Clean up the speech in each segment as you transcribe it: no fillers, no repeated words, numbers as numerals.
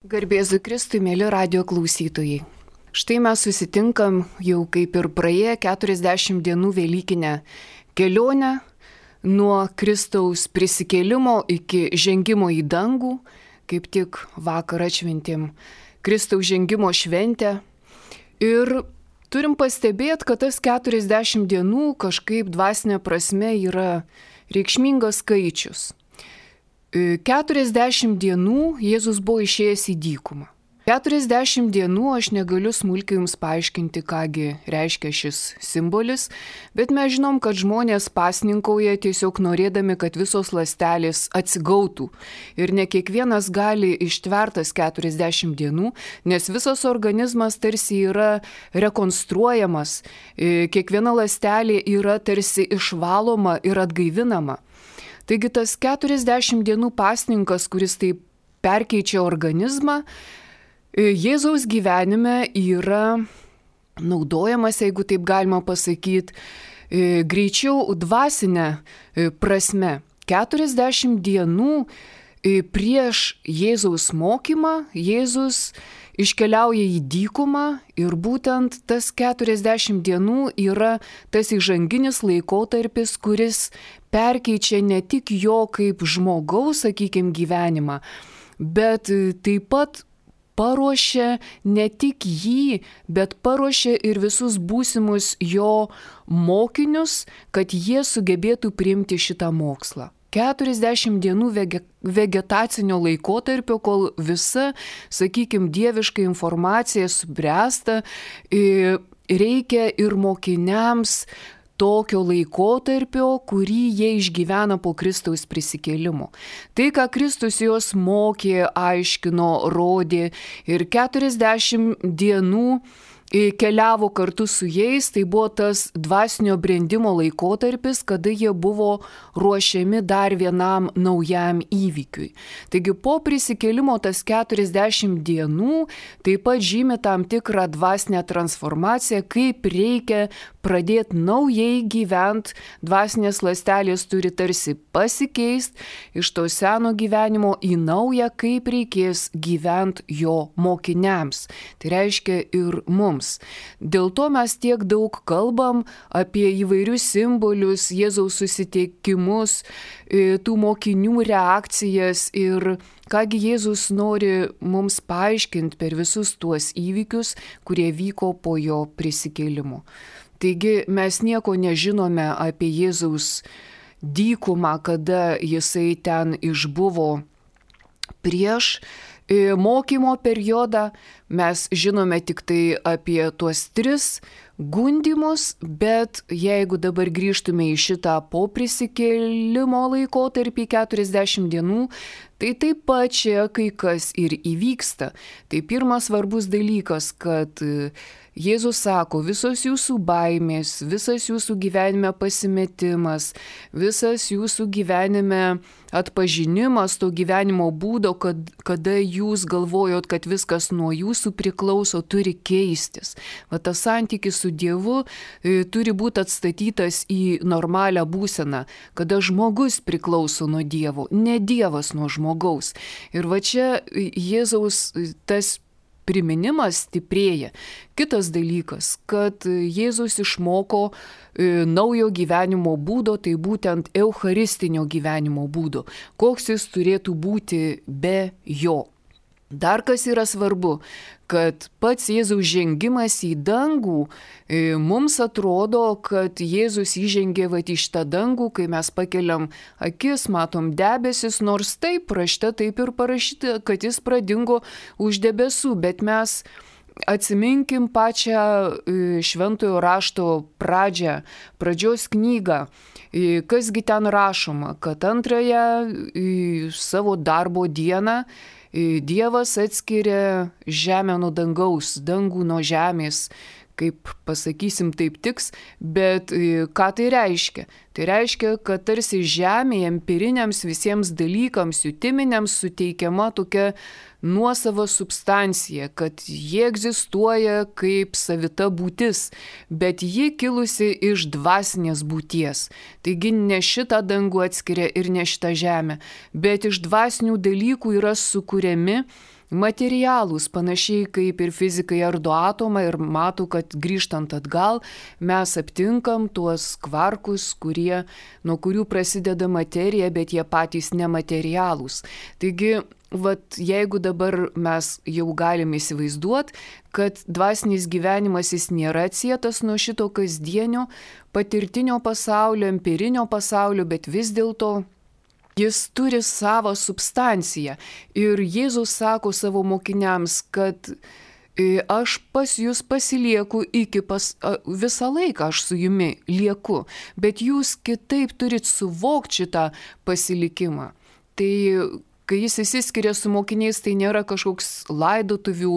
Garbėzu Kristui, mėly radio klausytojai. Štai mes susitinkam jau kaip ir praėję 40 dienų Velykinę kelionę nuo Kristaus prisikėlimo iki žengimo į dangų, kaip tik vakar atšventėm Kristaus žengimo šventę. Ir turim pastebėti, kad tas 40 dienų kažkaip dvasinė prasme yra reikšmingas skaičius. 40 dienų Jėzus buvo išėjęs į dykumą. 40 dienų aš negaliu smulkiai jums paaiškinti, kągi reiškia šis simbolis, bet mes žinom, kad žmonės pasninkauja tiesiog norėdami, kad visos ląstelės atsigautų. Ir ne kiekvienas gali ištvertas 40 dienų, nes visas organizmas tarsi yra rekonstruojamas, kiekviena ląstelė yra tarsi išvaloma ir atgaivinama. Taigi tas 40 dienų pasninkas, kuris taip perkeičia organizmą, Jėzaus gyvenime yra naudojamas, jeigu taip galima pasakyti, greičiau dvasinę prasme. 40 dienų prieš Jėzaus mokymą Jėzus iškeliauja į dykumą ir būtent tas 40 dienų yra tas įžanginis laikotarpis, kuris perkeičia ne tik jo kaip žmogaus, sakykime, gyvenimą, bet taip pat paruošia ne tik jį, bet paruošia ir visus būsimus jo mokinius, kad jie sugebėtų priimti šitą mokslą. 40 dienų vegetacinio laikotarpio, kol visa, sakykime, dieviška informacija subręsta, reikia ir mokiniams tokio laikotarpio, kurį jie išgyvena po Kristaus prisikėlimo. Tai, ką Kristus juos mokė, aiškino, rodė ir 40 dienų keliavo kartu su jais, tai buvo tas dvasinio brendimo laikotarpis, kada jie buvo ruošiami dar vienam naujam įvykiui. Taigi po prisikėlimo tas 40 dienų taip pat žymi tam tikrą dvasinę transformaciją, kaip reikia pradėti naujai gyventi, dvasinės ląstelės turi tarsi pasikeisti iš to seno gyvenimo į naują, kaip reikės gyventi jo mokiniams. Tai reiškia ir mums. Dėl to mes tiek daug kalbam apie įvairius simbolius, Jėzaus susitikimus, tų mokinių reakcijas ir kągi Jėzus nori mums paaiškinti per visus tuos įvykius, kurie vyko po jo prisikėlimo. Taigi mes nieko nežinome apie Jėzaus dykumą, kada jisai ten išbuvo prieš mokymo periodą. Mes žinome tik tai apie tuos 3 gundymus, bet jeigu dabar grįžtume į šitą po prisikėlimo laikotarpį 40 dienų, tai taip pat čia kai kas ir įvyksta. Tai pirmas svarbus dalykas, kad Jėzus sako, visos jūsų baimės, visas jūsų gyvenime pasimetimas, visas jūsų gyvenime atpažinimas to gyvenimo būdo, kada jūs galvojot, kad viskas nuo jūsų priklauso, turi keistis. Va tas santykis su Dievu turi būti atstatytas į normalią būseną, kada žmogus priklauso nuo Dievo, ne Dievas nuo žmogaus. Ir va čia Jėzaus tas priminimas stiprėja. Kitas dalykas, kad Jėzus išmoko naujo gyvenimo būdo, tai būtent eucharistinio gyvenimo būdo. Koks jis turėtų būti be jo. Dar kas yra svarbu, kad pats Jėzaus žengimas į dangų mums atrodo, kad Jėzus įžengė į šitą dangų, kai mes pakeliam akis, matom debesis, nors taip rašte taip ir parašyta, kad jis pradingo už debesų, bet mes atsiminkim pačią šventojo rašto pradžios knygą. Kasgi ten rašoma, kad antrąją savo darbo dieną Dievas atskiria žemę nuo dangaus, dangų nuo žemės, kaip pasakysim taip tiks, bet ką tai reiškia? Tai reiškia, kad tarsi žemėje empiriniams visiems dalykams, jutiminiams suteikiama tokia nuosava substancija, kad jie egzistuoja kaip savita būtis, bet ji kilusi iš dvasinės būties. Taigi ne šitą dangų atskiria ir ne šitą žemę, bet iš dvasinių dalykų yra sukuriami materialūs, panašiai kaip ir fizikai ardo atomą ir mato, kad grįžtant atgal mes aptinkam tuos kvarkus, nuo kurių prasideda materija, bet jie patys nematerialūs. Taigi, jeigu dabar mes jau galim įsivaizduoti, kad dvasinis gyvenimas jis nėra atsietas nuo šito kasdienio, patirtinio pasaulio, empirinio pasaulio, bet vis dėlto jis turi savo substanciją. Ir Jėzus sako savo mokiniams, kad aš pas jūs pasilieku visą laiką aš su jumi lieku, bet jūs kitaip turit suvokti šitą pasilikimą. Tai kai jis išsiskiria su mokiniais, tai nėra kažkoks laidotuvių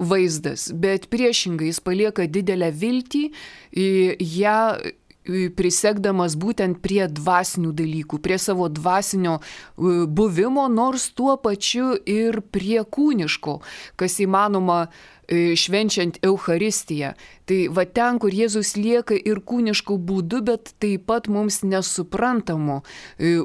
vaizdas, bet priešingai jis palieka didelę viltį, ją prisegdamas būtent prie dvasinių dalykų, prie savo dvasinio buvimo, nors tuo pačiu ir prie kūniško, kas įmanoma švenčiant Eucharistiją. Tai ten, kur Jėzus lieka ir kūniškų būdų, bet taip pat mums nesuprantamu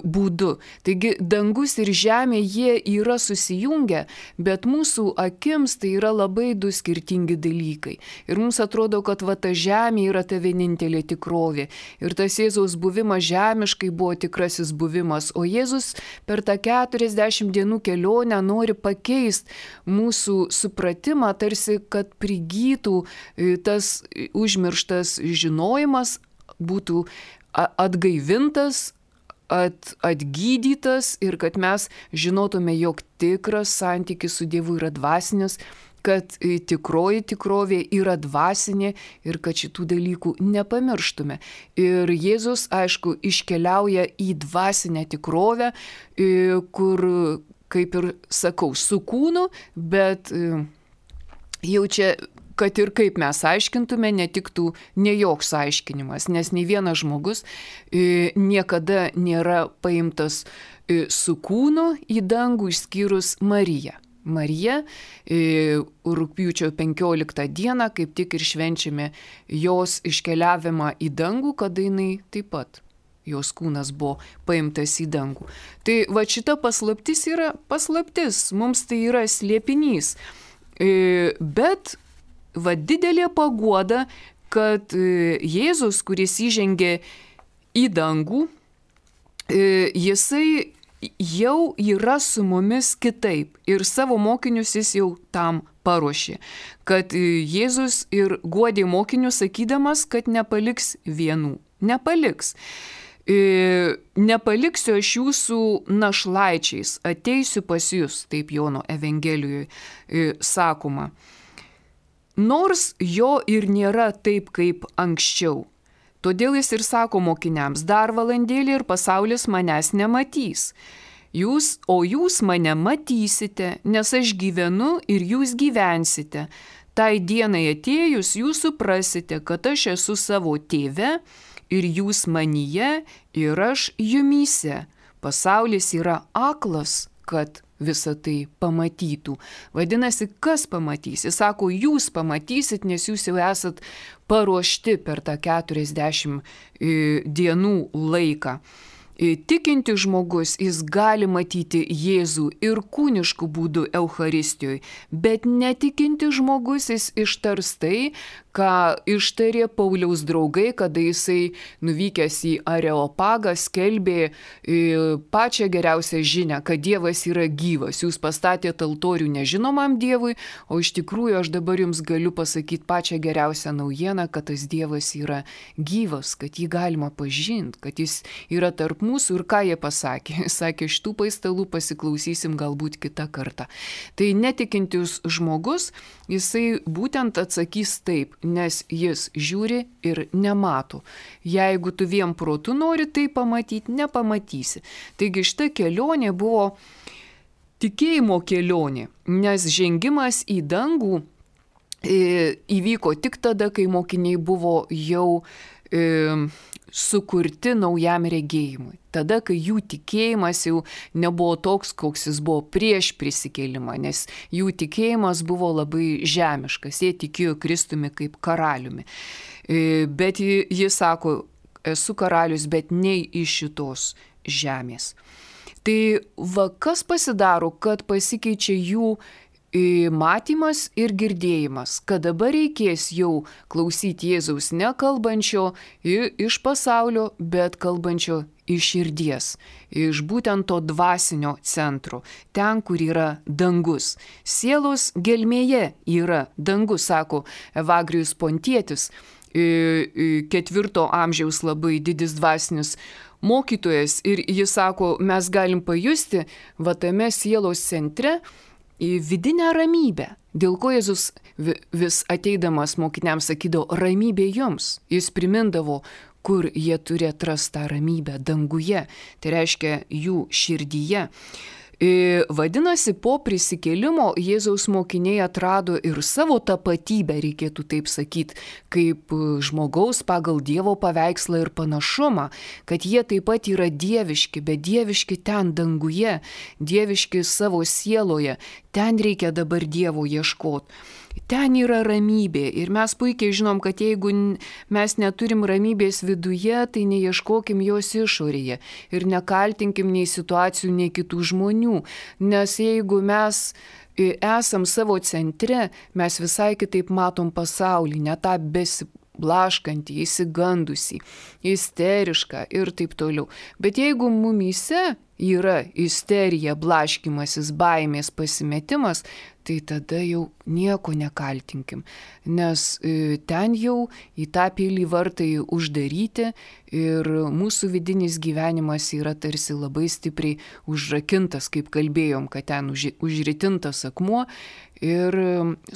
būdu. Taigi dangus ir žemė, jie yra susijungę, bet mūsų akims tai yra labai du skirtingi dalykai. Ir mums atrodo, kad ta žemė yra ta vienintelė tikrovė. Ir tas Jėzaus buvimas žemiškai buvo tikrasis buvimas. O Jėzus per tą 40 dienų kelionę nori pakeisti mūsų supratimą, tarsi kad prigytų tas užmirštas žinojimas, būtų atgaivintas, atgydytas ir kad mes žinotume, jog tikras santykis su Dievu yra dvasinis, kad tikroji tikrovė yra dvasinė ir kad šitų dalykų nepamirštume. Ir Jėzus, aišku, iškeliauja į dvasinę tikrovę, kur, kaip ir sakau, su kūnu, bet jau čia, kad ir kaip mes aiškintume, netiktų ne joks aiškinimas, nes nei vienas žmogus niekada nėra paimtas su kūnu į dangų išskyrus Mariją. Marija rugpjūčio 15 dieną kaip tik ir švenčiame jos iškeliavimą į dangų, kada jinai taip pat, jos kūnas buvo paimtas į dangų. Tai šita paslaptis yra paslaptis, mums tai yra slėpinys. Bet didelė paguoda, kad Jėzus, kuris įžengė į dangų, jisai jau yra su mumis kitaip ir savo mokinius jis jau tam paruošė. Kad Jėzus ir guodė mokinius sakydamas, kad nepaliks vienų. Nepaliks. Nepaliksiu aš jūsų našlaičiais, ateisiu pas jūs, taip Jono Evangelijoje sakoma. Nors jo ir nėra taip kaip anksčiau. Todėl jis ir sako mokiniams, dar valandėlį ir pasaulis manęs nematys. O jūs mane matysite, nes aš gyvenu ir jūs gyvensite. Tai dienai atėjus jūs suprasite, kad aš esu savo tėve, ir jūs manyje, ir aš jumyse. Pasaulis yra aklas, kad visą tai pamatytų. Vadinasi, kas pamatys? Jis sako, jūs pamatysit, nes jūs jau esat paruošti per tą 40 dienų laiką. Tikinti žmogus, jis gali matyti Jėzų ir kūniškų būdų Eucharistijoje, bet netikinti žmogus, jis ištars tai, ką ištarė Pauliaus draugai, kada jisai nuvykęs į Areopagą skelbė pačią geriausią žinią, kad Dievas yra gyvas. Jūs pastatėte altorių nežinomam Dievui, o iš tikrųjų aš dabar jums galiu pasakyti pačią geriausią naujieną, kad tas Dievas yra gyvas, kad jį galima pažinti, kad jis yra tarp mūsų. Ir ką jie pasakė? Sakė, šitų paistalų pasiklausysim galbūt kitą kartą. Tai netikintis žmogus, jisai būtent atsakys taip, nes jis žiūri ir nemato. Jeigu tu vien protu nori tai pamatyti, nepamatysi. Taigi šita kelionė buvo tikėjimo kelionė, nes žengimas į dangų įvyko tik tada, kai mokiniai buvo jau sukurti naujam regėjimui. Tada, kai jų tikėjimas jau nebuvo toks, koks jis buvo prieš prisikėlimą, nes jų tikėjimas buvo labai žemiškas, jie tikėjo Kristumi kaip karaliumi. Bet jis sako, esu karalius, bet ne iš šitos žemės. Tai va kas pasidaro, kad pasikeičia jų matymas ir girdėjimas, kad dabar reikės jau klausyti Jėzaus ne kalbančio iš pasaulio, bet kalbančio iš širdies, iš būtent to dvasinio centro, ten, kur yra dangus. Sielos gelmėje yra dangus, sako Evagrijus Pontietis, 4 amžiaus labai didis dvasinis mokytojas, ir jis sako, mes galim pajusti va tame sielos centre į vidinę ramybę. Dėl ko Jėzus vis ateidamas mokiniams sakydavo, ramybė jums. Jis primindavo, kur jie turi atrasti tą ramybę danguje, tai reiškia jų širdyje. Vadinasi, po prisikėlimo Jėzaus mokiniai atrado ir savo tapatybę, reikėtų taip sakyti, kaip žmogaus pagal Dievo paveikslą ir panašumą, kad jie taip pat yra dieviški, bet dieviški ten danguje, dieviški savo sieloje, ten reikia dabar Dievo ieškoti. Ten yra ramybė ir mes puikiai žinom, kad jeigu mes neturim ramybės viduje, tai neieškokim jos išorėje ir nekaltinkim nei situacijų, nei kitų žmonių, nes jeigu mes esam savo centre, mes visai kitaip matom pasaulį, ne tą besiblaškantį, įsigandusį, isterišką ir taip toliau. Bet jeigu mumyse yra isterija, blaškymasis, baimės, pasimetimas, tai tada jau nieko nekaltinkim, nes ten jau į tą pilį vartai uždaryti ir mūsų vidinis gyvenimas yra tarsi labai stipriai užrakintas, kaip kalbėjom, kad ten užritintas akmuo ir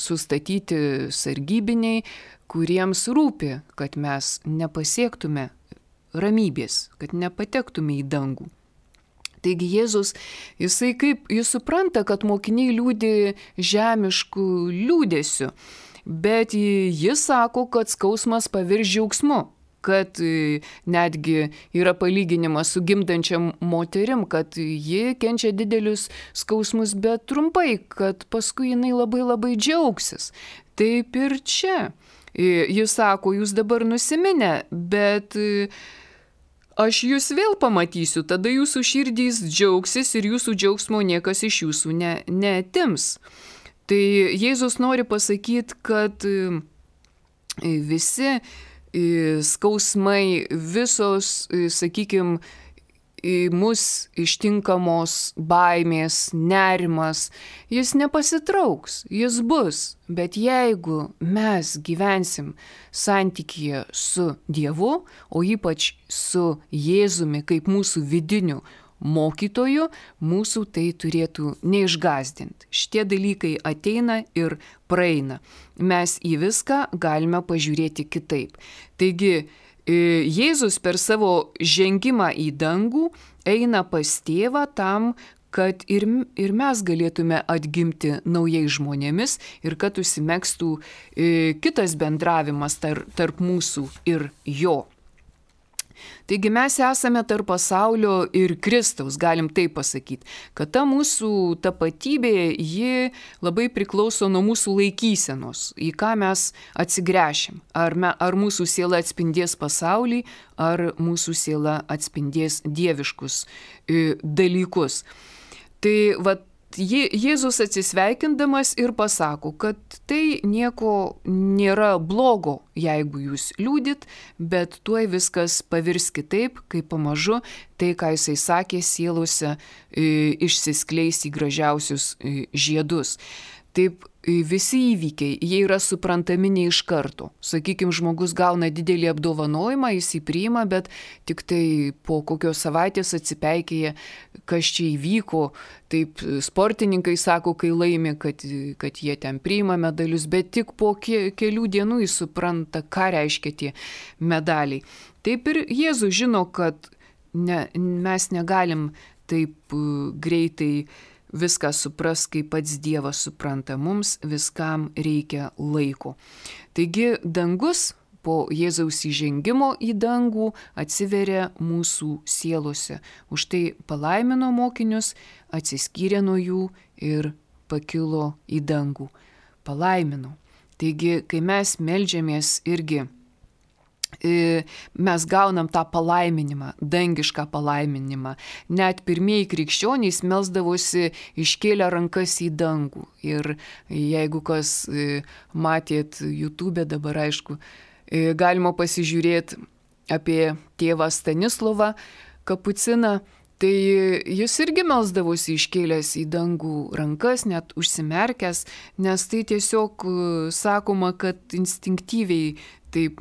sustatyti sargybiniai, kuriems rūpi, kad mes nepasiektume ramybės, kad nepatektume į dangų. Taigi Jėzus, jis supranta, kad mokiniai liūdi žemiškų liūdėsių, bet jis sako, kad skausmas pavirs džiaugsmu, kad netgi yra palyginimas su gimdančiam moterim, kad ji kenčia didelius skausmus, bet trumpai, kad paskui jinai labai labai džiaugsis. Taip ir čia. Jis sako, jūs dabar nusiminę, bet aš jūs vėl pamatysiu, tada jūsų širdys džiaugsis ir jūsų džiaugsmo niekas iš jūsų neatims. Tai Jėzus nori pasakyti, kad visi skausmai, visos, sakykime, mus ištinkamos baimės, nerimas, jis nepasitrauks, jis bus. Bet jeigu mes gyvensim santykyje su Dievu, o ypač su Jėzumi kaip mūsų vidiniu mokytoju, mūsų tai turėtų neišgąsdinti. Šitie dalykai ateina ir praeina. Mes į viską galime pažiūrėti kitaip. Taigi, Jėzus per savo žengimą į dangų eina pas tėvą tam, kad ir mes galėtume atgimti naujais žmonėmis ir kad užsimegstų kitas bendravimas tarp mūsų ir jo. Taigi mes esame tarp pasaulio ir Kristaus, galim taip pasakyti, kad ta mūsų tapatybė, ji labai priklauso nuo mūsų laikysenos, į ką mes atsigręšim. Ar mūsų siela atspindės pasaulį, ar mūsų siela atspindės dieviškus dalykus. Tai vat, Jėzus atsisveikindamas ir pasako, kad tai nieko nėra blogo, jeigu jūs liūdit, bet tuoj viskas pavirs kitaip, kai pamažu tai, ką jisai sakė, sielose išsiskleis į gražiausius žiedus. Taip, visi įvykiai, jie yra suprantami ne iš karto. Sakykime, žmogus gauna didelį apdovanojimą, jis jį priima, bet tik tai po kokios savaitės atsipeikėja, kas čia įvyko. Taip, sportininkai sako, kai laimi, kad jie ten priima medalius, bet tik po kelių dienų jis supranta, ką reiškia tie medaliai. Taip ir Jėzus žino, kad mes negalim taip greitai viską supras, kaip pats Dievas supranta, mums viskam reikia laiko. Taigi dangus po Jėzaus įžengimo į dangų atsiveria mūsų sielose. Už tai palaimino mokinius, atsiskyrė nuo jų ir pakilo į dangų. Palaimino. Taigi, kai mes meldžiamės irgi mes gaunam tą palaiminimą, dangišką palaiminimą. Net pirmieji krikščionys melsdavosi iškėlę rankas į dangų. Ir jeigu kas matėt YouTube, dabar aišku, galima pasižiūrėti apie tėvą Stanislovą Kapuciną, tai jis irgi melsdavosi iškėlęs į dangų rankas, net užsimerkęs, nes tai tiesiog sakoma, kad instinktyviai taip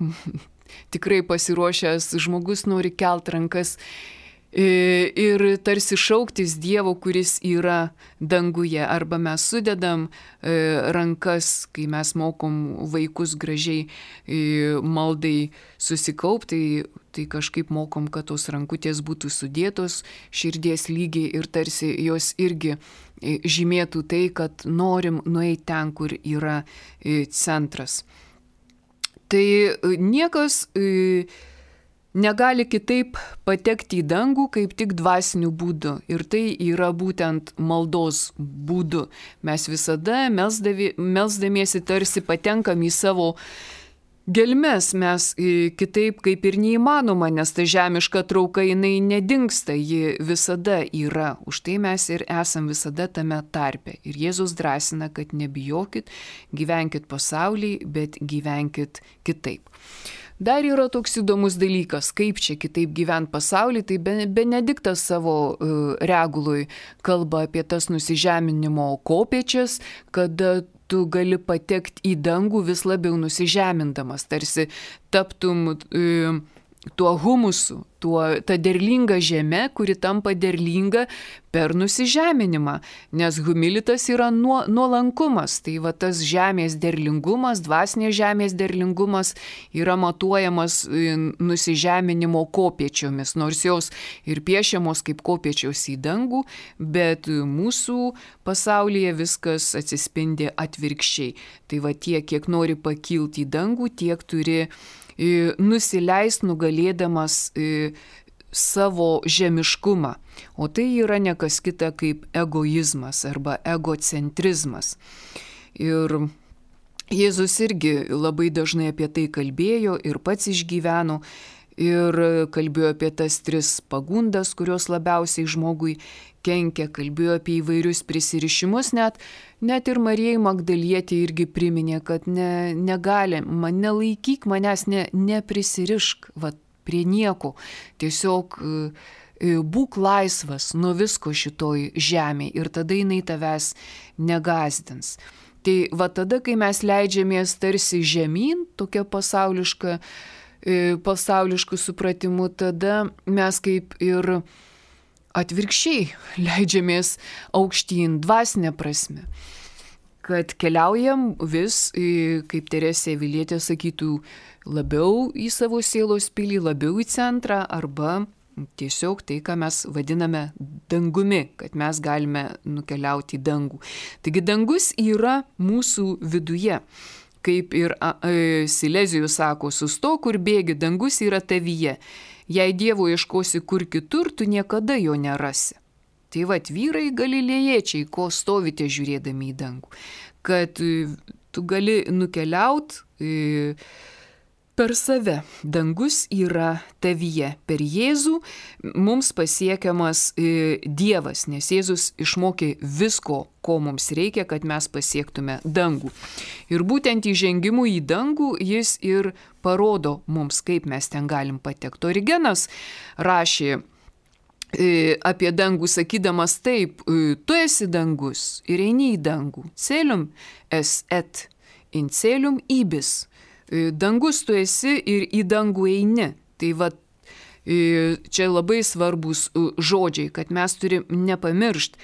tikrai pasiruošęs žmogus nori kelt rankas ir tarsi šauktis Dievo, kuris yra danguje. Arba mes sudedam rankas, kai mes mokom vaikus gražiai maldai susikaupti, tai kažkaip mokom, kad tos rankutės būtų sudėtos širdies lygiai ir tarsi jos irgi žymėtų tai, kad norim nueiti ten, kur yra centras. Tai niekas negali kitaip patekti į dangų, kaip tik dvasiniu būdu. Ir tai yra būtent maldos būdu. Mes visada melsdamiesi tarsi patenkam į savo gelmes, mes kitaip kaip ir neįmanoma, nes ta žemiška trauka jinai nedingsta, ji visada yra. Už tai mes ir esam visada tame tarpe. Ir Jėzus drąsina, kad nebijokit, gyvenkit pasaulyje, bet gyvenkit kitaip. Dar yra toks įdomus dalykas, kaip čia kitaip gyventi pasaulyje, tai Benediktas savo reguloj kalba apie tas nusižeminimo kopėčias, kada tu gali patekti į dangų vis labiau nusižemindamas, tarsi taptum tuo humusu, ta derlinga žeme, kuri tampa derlinga per nusižeminimą, nes humilitas yra nuolankumas, tai va tas žemės derlingumas, dvasinės žemės derlingumas yra matuojamas nusižeminimo kopėčiomis, nors jos ir piešiamos kaip kopėčios į dangų, bet mūsų pasaulyje viskas atsispindi atvirkščiai. Tai va tiek, kiek nori pakilti į dangų, tiek turi nusileist nugalėdamas savo žemiškumą. O tai yra ne kas kita kaip egoizmas arba egocentrizmas. Ir Jėzus irgi labai dažnai apie tai kalbėjo ir pats išgyveno. Ir kalbėjo apie tas 3 pagundas, kurios labiausiai žmogui kenkia, kalbėjo apie įvairius prisirišimus, net ir Marijai Magdalietei irgi priminė, kad negali, nelaikyk manęs, neprisirišk prie nieko, tiesiog būk laisvas nuo visko šitoj žemėje ir tada jinai tavęs negazdins. Tai va tada, kai mes leidžiamės tarsi žemyn, tokia pasauliškų supratimų, tada mes kaip ir atvirkščiai leidžiamės aukštyn dvasinę prasme. Kad keliaujam vis, kaip Teresė Avilietė sakytų, labiau į savo sielos pilį, labiau į centrą arba tiesiog tai, ką mes vadiname dangumi, kad mes galime nukeliauti į dangų. Taigi dangus yra mūsų viduje. Kaip ir Silezijus sako, sustok, kur bėgi, dangus yra tavyje. Jei Dievo ieškosi kur kitur, tu niekada jo nerasi. Tai vat vyrai galilėjiečiai, ko stovite žiūrėdami į dangų. Kad tu gali nukeliauti per save. Dangus yra tavyje. Per Jėzų mums pasiekiamas Dievas, nes Jėzus išmokė visko, ko mums reikia, kad mes pasiektume dangų. Ir būtent įžengimu į dangų jis ir parodo mums, kaip mes ten galim patekti. Origenas rašė apie dangų, sakydamas taip, tu esi dangus ir eini į dangų. Celium es et in celium ibis. Dangus tu esi ir į dangų eini. Tai va, čia labai svarbus žodžiai, kad mes turim nepamiršti,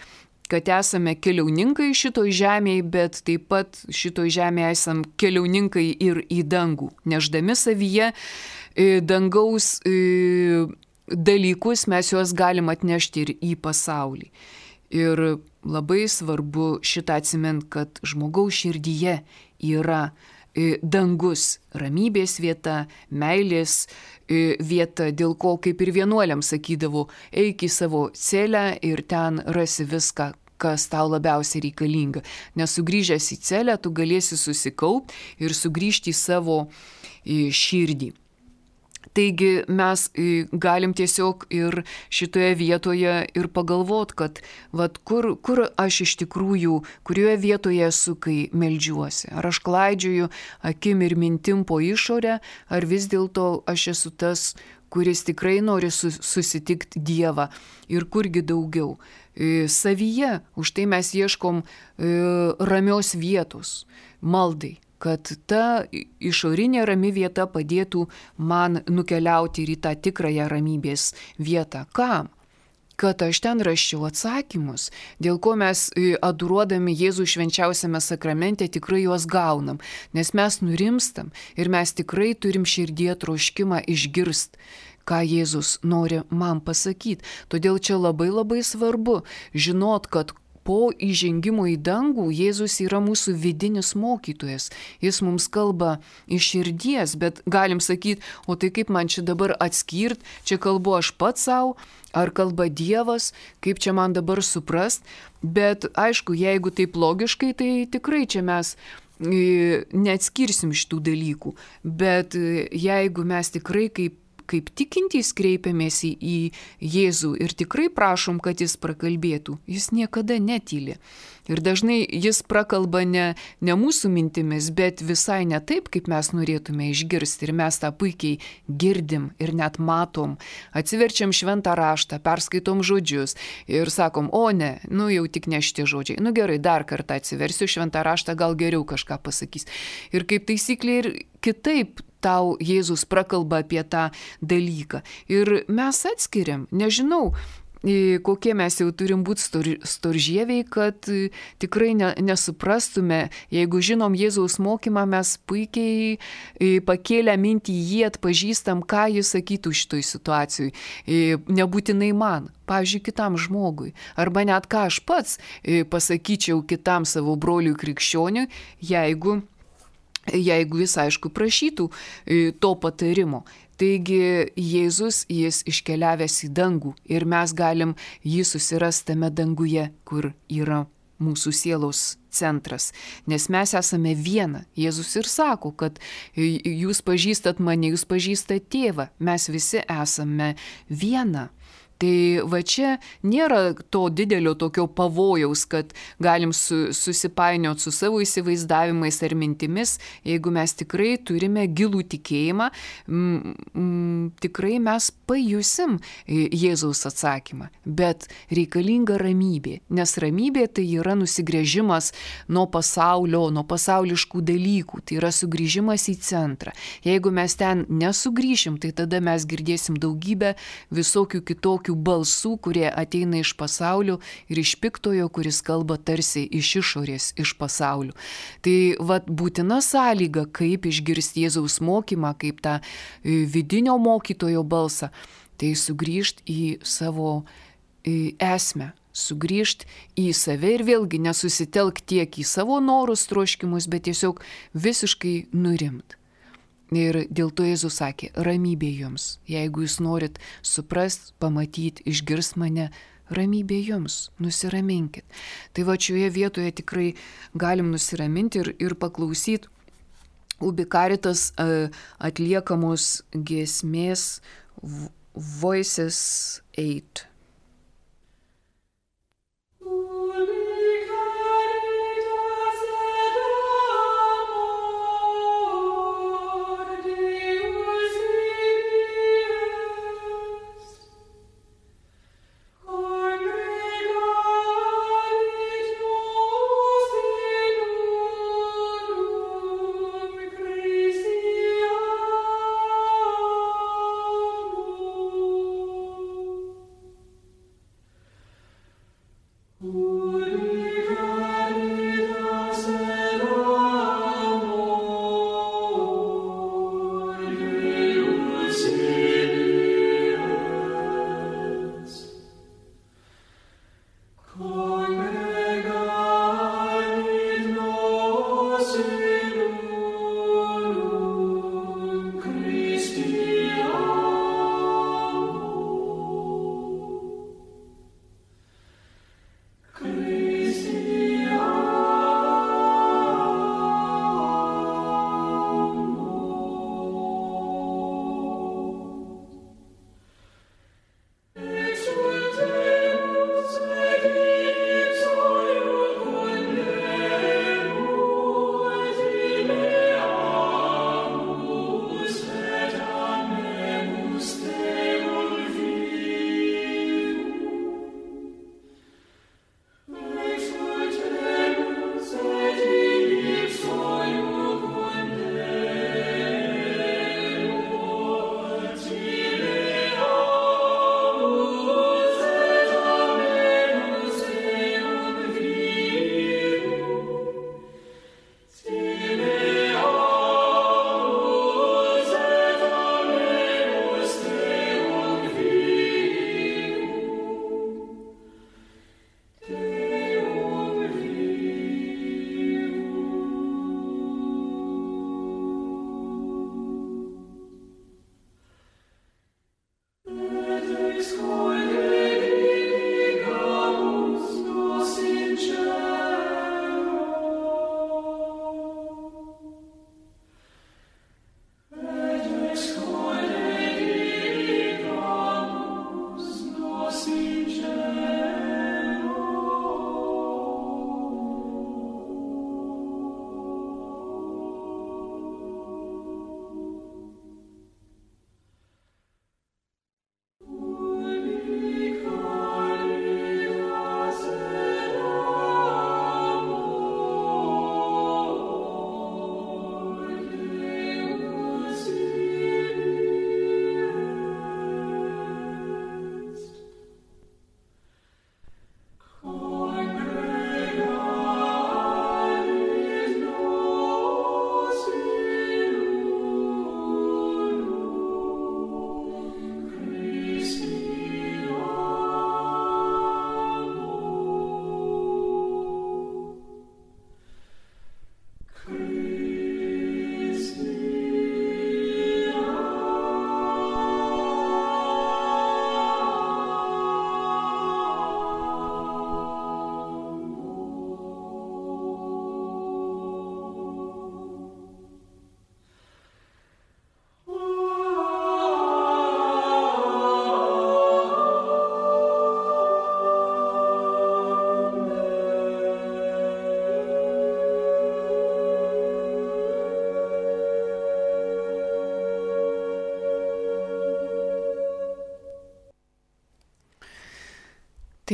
kad esame keliauninkai šitoj žemėje, bet taip pat šitoj žemėje esam keliauninkai ir į dangų, neždami savyje dangaus dalykus, mes juos galim atnešti ir į pasaulį. Ir labai svarbu šitą atsimint, kad žmogaus širdyje yra dangus, ramybės vieta, meilės vieta, dėl ko kaip ir vienuoliams sakydavo, eik į savo celę ir ten rasi viską, kas tau labiausiai reikalinga. Nes sugrįžęs į celę, tu galėsi susikaupti ir sugrįžti į savo širdį. Taigi mes galim tiesiog ir šitoje vietoje ir pagalvot, kad vat, kur aš iš tikrųjų, kurioje vietoje esu, kai meldžiuosi. Ar aš klaidžioju akim ir mintim po išorę, ar vis dėlto aš esu tas, kuris tikrai nori susitikti Dievą ir kurgi daugiau. Savyje, už tai mes ieškom ramios vietos, maldai, kad ta išorinė rami vieta padėtų man nukeliauti ir į tą tikrąją ramybės vietą. Kam? Kad aš ten raščiau atsakymus, dėl ko mes adoruodami Jėzų švenčiausiame sakramente tikrai juos gaunam, nes mes nurimstam ir mes tikrai turim širdie troškimą išgirst, ką Jėzus nori man pasakyti. Todėl čia labai labai svarbu žinot, kad po įžengimo į dangų Jėzus yra mūsų vidinis mokytojas. Jis mums kalba iš širdies, bet galim sakyti, o tai kaip man čia dabar atskirt, čia kalbu aš pats savo, ar kalba Dievas, kaip čia man dabar suprast. Bet aišku, jeigu taip logiškai, tai tikrai čia mes neatskirsim šitų dalykų. Bet jeigu mes tikrai kaip tikintys kreipiamės į Jėzų ir tikrai prašom, kad jis prakalbėtų, jis niekada netyli. Ir dažnai jis prakalba ne mūsų mintimis, bet visai ne taip, kaip mes norėtume išgirsti. Ir mes tą puikiai girdim ir net matom. Atsiverčiam šventą raštą, perskaitom žodžius ir sakom, o ne, jau tik ne šitie žodžiai. Gerai, dar kartą atsiversiu šventą raštą, gal geriau kažką pasakys. Ir kaip taisyklė ir kitaip tau Jėzus prakalba apie tą dalyką. Ir mes atskiriam, nežinau, kokie mes jau turim būti storžieviai, kad tikrai nesuprastume. Jeigu žinom Jėzaus mokymą, mes puikiai pakėlę mintį jį atpažįstam, ką jis sakytų šitoj situacijai. Nebūtinai man, pavyzdžiui, kitam žmogui. Arba net ką aš pats pasakyčiau kitam savo broliui krikščioniui, jeigu jis, aišku, prašytų to patarimo. Taigi Jėzus, jis iškeliavęs į dangų ir mes galim jį susirasti tame danguje, kur yra mūsų sielos centras. Nes mes esame viena. Jėzus ir sako, kad jūs pažįstat mane, jūs pažįstat tėvą. Mes visi esame viena. Tai va čia nėra to didelio tokio pavojaus, kad galim susipainioti su savo įsivaizdavimais ar mintimis. Jeigu mes tikrai turime gilų tikėjimą, tikrai mes pajusim Jėzaus atsakymą. Bet reikalinga ramybė, nes ramybė tai yra nusigręžimas nuo pasaulio, nuo pasauliškų dalykų. Tai yra sugrįžimas į centrą. Jeigu mes ten nesugrįšim, tai tada mes girdėsim daugybę visokių kitokių balsų, kurie ateina iš pasaulio ir iš piktojo, kuris kalba tarsi iš išorės, iš pasaulio. Tai būtina sąlyga, kaip išgirsti Jėzaus mokymą, kaip tą vidinio mokytojo balsą, tai sugrįžti į savo esmę, sugrįžti į save ir vėlgi nesusitelkti tiek į savo norus, troškimus, bet tiesiog visiškai nurimti. Ir dėl to Jėzus sakė, ramybė jums. Jeigu jūs norit suprast, pamatyti, išgirst mane, ramybė jums, nusiraminkit. Tai šioje vietoje tikrai galim nusiraminti ir paklausyti Ubi Caritas atliekamos giesmės Voices 8.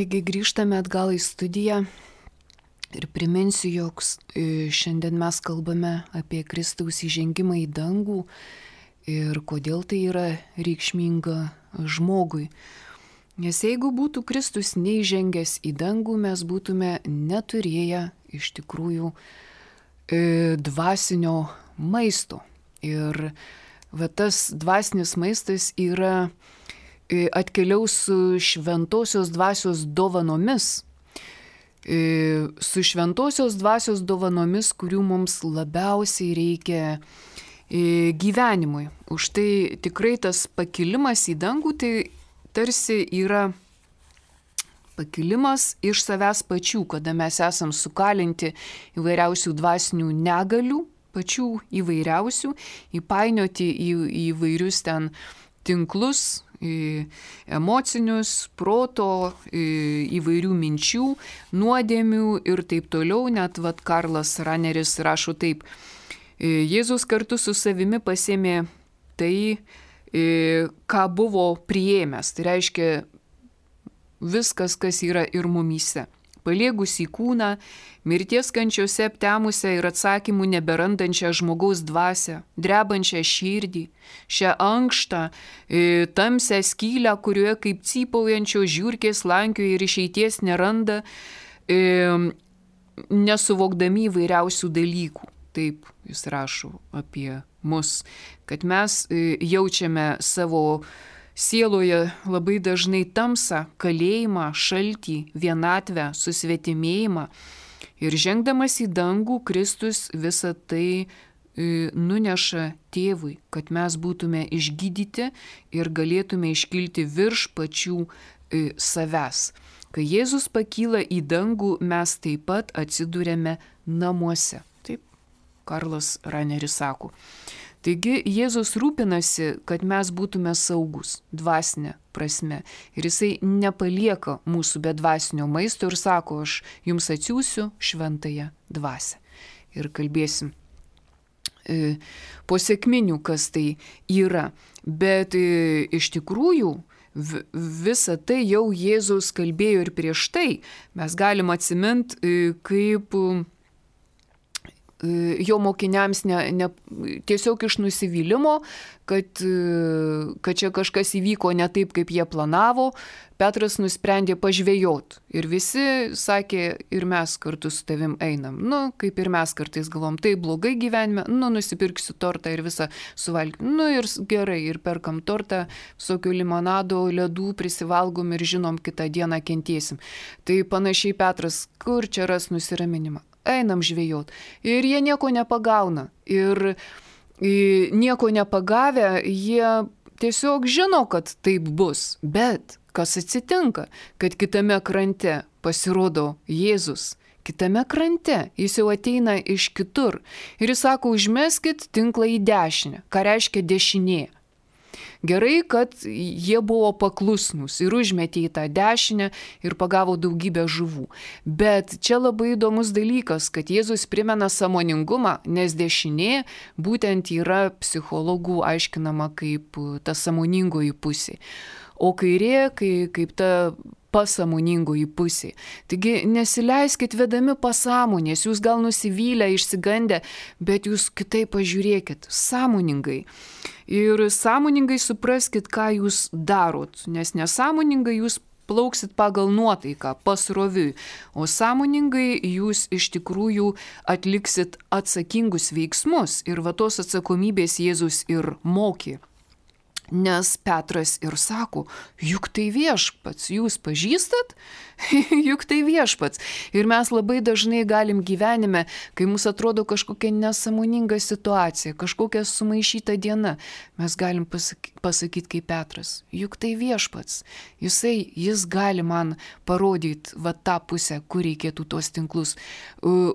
Taigi grįžtame atgal į studiją ir priminsiu, jog šiandien mes kalbame apie Kristaus įžengimą į dangų ir kodėl tai yra reikšminga žmogui. Nes jeigu būtų Kristus neįžengęs į dangų, mes būtume neturėję iš tikrųjų dvasinio maisto. Ir tas dvasinis maistas yra atkeliaus su šventosios dvasios dovanomis. Su šventosios dvasios dovanomis, kurių mums labiausiai reikia gyvenimui. Už tai tikrai tas pakilimas į dangų tai tarsi yra pakilimas iš savęs pačių, kada mes esam sukalinti įvairiausių dvasinių negalių, pačių įvairiausių, įpainioti į įvairius ten tinklus, emocinius, proto, įvairių minčių, nuodėmių ir taip toliau. Net Karlas Raneris rašo taip: Jėzus kartu su savimi pasėmė tai, ką buvo priėmęs. Tai reiškia viskas, kas yra ir mumyse. Paliegusi kūną, mirties kančiose aptemusią ir atsakymų neberandančią žmogaus dvasią, drebančią širdį, šią ankštą, tamsią skylę, kurioje kaip cypaujančio žiurkės lankioja ir išeities neranda, nesuvokdami įvairiausių dalykų. Taip jis rašo apie mus, kad mes jaučiame savo sieloje labai dažnai tamsą, kalėjimą, šaltį, vienatvę, susvetimėjimą. Ir žengdamas į dangų, Kristus visą tai nuneša tėvui, kad mes būtume išgydyti ir galėtume iškilti virš pačių savęs. Kai Jėzus pakyla į dangų, mes taip pat atsidūrėme namuose. Taip Karlas Raneris sako. Taigi Jėzus rūpinasi, kad mes būtume saugus dvasinė prasme. Ir jisai nepalieka mūsų be dvasinio maisto ir sako: aš jums atsiųsiu šventąją dvasią. Ir kalbėsim po sekminių, kas tai yra. Bet iš tikrųjų visą tai jau Jėzus kalbėjo ir prieš tai. Mes galim atsiminti, kaip jo mokiniams tiesiog iš nusivylimo, kad čia kažkas įvyko ne taip, kaip jie planavo, Petras nusprendė pažvejot. Ir visi sakė: ir mes kartu su tavim einam. Kaip ir mes kartais galvom, tai blogai gyvenime, nusipirksiu tortą ir visą suvalgym. Ir gerai, ir perkam tortą, visokių limonado, ledų prisivalgom ir žinom, kitą dieną kentėsim. Tai panašiai Petras, kur čia ras nusiraminimą? Einam žvejot. Ir jie nieko nepagauna. Ir nieko nepagavę, jie tiesiog žino, kad taip bus. Bet kas atsitinka? Kad kitame krante pasirodo Jėzus. Kitame krante jis jau ateina iš kitur. Ir jis sako: užmeskit tinklą į dešinę. Ką reiškia dešinė? Gerai, kad jie buvo paklusnus ir užmetė į tą dešinę ir pagavo daugybę žuvų. Bet čia labai įdomus dalykas, kad Jėzus primena sąmoningumą, nes dešinė būtent yra psichologų aiškinama kaip ta sąmoningoji pusė. O kairė kaip ta pasąmoningoji pusė. Taigi nesileiskit vedami pasąmonės, jūs gal nusivylę, išsigandę, bet jūs kitaip pažiūrėkit, sąmoningai. Ir sąmoningai supraskit, ką jūs darot, nes nesąmoningai jūs plauksit pagal nuotaiką, pasroviui, o sąmoningai jūs iš tikrųjų atliksit atsakingus veiksmus ir tos atsakomybės Jėzus ir mokė. Nes Petras ir sako: juk tai viešpats, jūs pažįstat? Juk tai viešpats. Ir mes labai dažnai galim gyvenime, kai mums atrodo kažkokia nesąmoninga situacija, kažkokia sumaišyta diena, mes galim pasakyti kaip Petras: juk tai viešpats. Jis gali man parodyti tą pusę, kur reikėtų tuos tinklus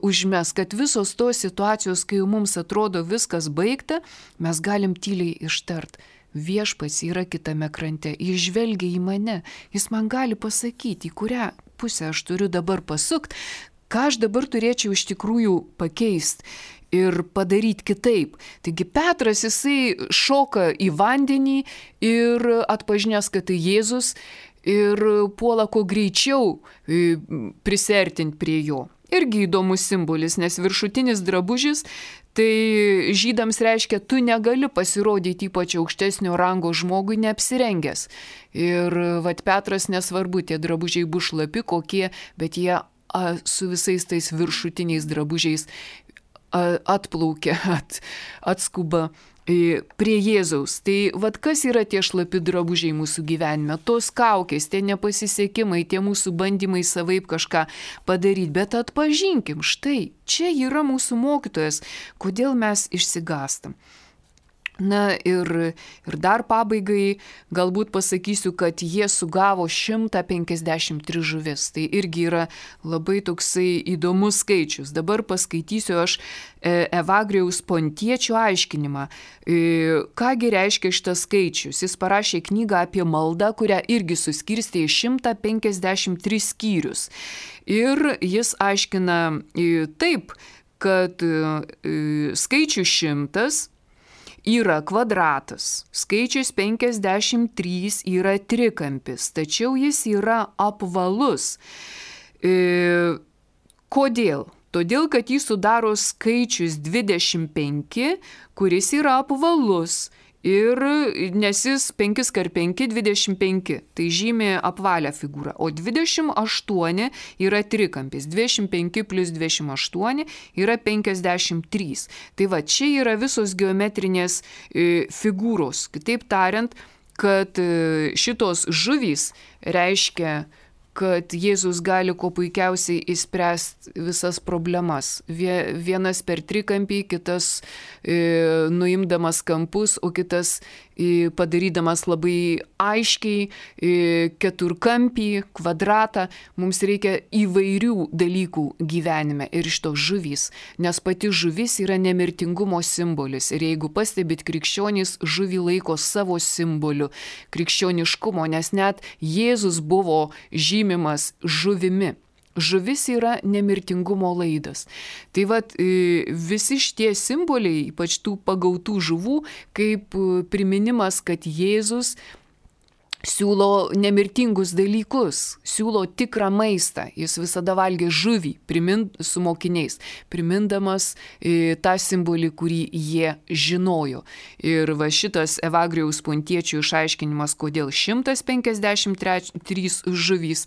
užmes, kad visos tos situacijos, kai mums atrodo viskas baigta, mes galim tyliai ištart: viešpats yra kitame krante, jis žvelgia į mane, jis man gali pasakyti, į kurią pusę aš turiu dabar pasukti, ką aš dabar turėčiau iš tikrųjų pakeisti ir padaryti kitaip. Taigi Petras, jisai šoka į vandenį ir atpažinęs, kad tai Jėzus, ir puola kuo greičiau prisiartinti prie jo. Irgi įdomus simbolis, nes viršutinis drabužis tai žydams reiškia, tu negali pasirodyti ypač aukštesnio rango žmogui neapsirengęs. Ir Petras nesvarbu, tie drabužiai bus šlapi kokie, bet jie su visais tais viršutiniais drabužiais atplaukia, atskuba prie Jėzaus. Tai kas yra tie šlapi drabužiai mūsų gyvenime? Tos kaukės, tie nepasisekimai, tie mūsų bandymai savaip kažką padaryti. Bet atpažinkim, štai, čia yra mūsų mokytojas, kodėl mes išsigastam. Na ir dar pabaigai galbūt pasakysiu, kad jie sugavo 153 žuvis. Tai irgi yra labai toksai įdomus skaičius. Dabar paskaitysiu aš Evagrijaus Pontiečio aiškinimą. Kągi reiškia šitas skaičius? Jis parašė knygą apie maldą, kurią irgi suskirstė į 153 skyrius. Ir jis aiškina taip, kad skaičius 100 yra kvadratas, skaičius 53 yra trikampis, tačiau jis yra apvalus. Kodėl? Todėl, kad jį sudaro skaičius 25, kuris yra apvalus. Ir nes jis 5x5, 25, tai žymi apvalią figūrą, o 28 yra trikampis, 25 plus 28 yra 53. Tai čia yra visos geometrinės figūros. Kitaip tariant, kad šitos žuvys reiškia, kad Jėzus gali kuo puikiausiai išspręsti visas problemas. Vienas per trikampį, kitas nuimdamas kampus, o kitas padarydamas labai aiškiai keturkampį, kvadratą. Mums reikia įvairių dalykų gyvenime ir iš to žuvys, nes pati žuvis yra nemirtingumo simbolis. Ir jeigu pastebit, krikščionys žuvį laiko savo simboliu krikščioniškumo, nes net Jėzus buvo žymimas žuvimi. Žuvis yra nemirtingumo laidas. Tai visi šitie simboliai, ypač tų pagautų žuvų, kaip priminimas, kad Jėzus siūlo nemirtingus dalykus, siūlo tikrą maistą. Jis visada valgė žuvį su mokiniais, primindamas tą simbolį, kurį jie žinojo. Ir šitas Evagrijaus Pontiečio išaiškinimas, kodėl 153 žuvys.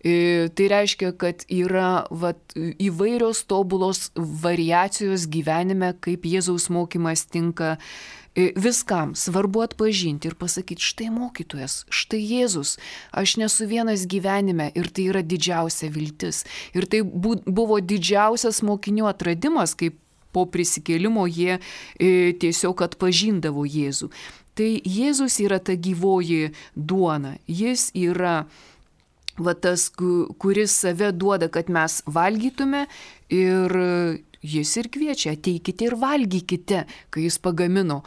Tai reiškia, kad yra įvairios tobulos variacijos gyvenime, kaip Jėzaus mokymas tinka viskam. Svarbu atpažinti ir pasakyti, štai mokytojas, štai Jėzus, aš nesu vienas gyvenime ir tai yra didžiausia viltis. Ir tai buvo didžiausias mokinių atradimas, kaip po prisikėlimo jie tiesiog atpažindavo Jėzų. Tai Jėzus yra ta gyvoji duona, jis yra tas, kuris save duoda, kad mes valgytume, ir jis ir kviečia, ateikite ir valgykite, kai jis pagamino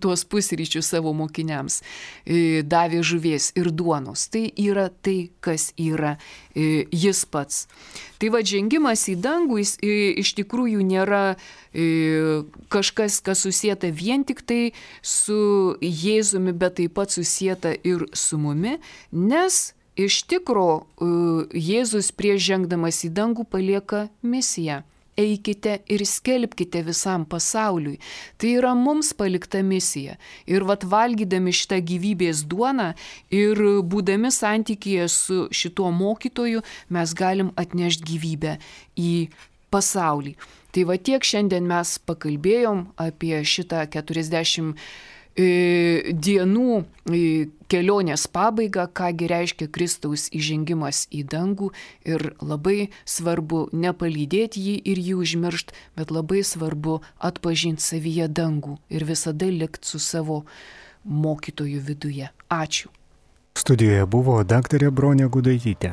tuos pusryčius savo mokiniams, davė žuvies ir duonos. Tai yra tai, kas yra jis pats. Tai žengimas į dangų iš tikrųjų nėra kažkas, kas susieta vien tik tai su Jėzumi, bet taip pat susieta ir su mumi, nes iš tikro Jėzus prieš žengdamas į dangų palieka misiją. Eikite ir skelbkite visam pasauliui. Tai yra mums palikta misija. Ir valgydami šitą gyvybės duoną ir būdami santykyje su šituo mokytoju, mes galim atnešti gyvybę į pasaulį. Tai tiek šiandien mes pakalbėjom apie šitą 40 dienų kelionės pabaigą, kągi reiškia Kristaus įžengimas į dangų, ir labai svarbu nepalydėti jį ir jį užmiršti, bet labai svarbu atpažinti savyje dangų ir visada likti su savo mokytoju viduje. Ačiū. Studijoje buvo daktarė Bronė Gudaitytė.